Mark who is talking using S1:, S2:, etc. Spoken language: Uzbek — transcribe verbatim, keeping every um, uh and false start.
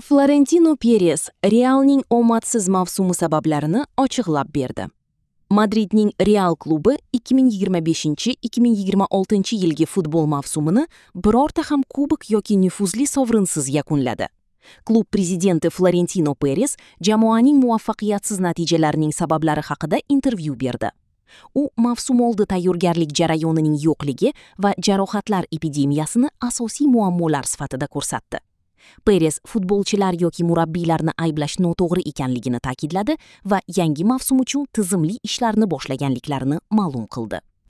S1: Florentino Peres Realning omadsiz mavsumi sabablarini ochiqlab berdi. Madridning Real klubi ikki ming yigirma beshinchi ikki ming yigirma oltinchi yilgi futbol mavsumini birorta ham kubok yoki nufuzli sovrinsiz yakunladi. Klub prezidenti Florentino Peres jamoaning muvaffaqiyatsiz natijalarining sabablari haqida intervyu berdi. U mavsum oldi tayyorgarlik jarayonining yo'qligi va jarohatlar epidemiyasini asosiy muammolar sifatida ko'rsatdi. Peres futbolchilar yoki murabbiylarni ayblash noto'g'ri ekanligini ta'kidladi va yangi mavsum uchun tizimli ishlarni boshlaganliklarini ma'lum qildi.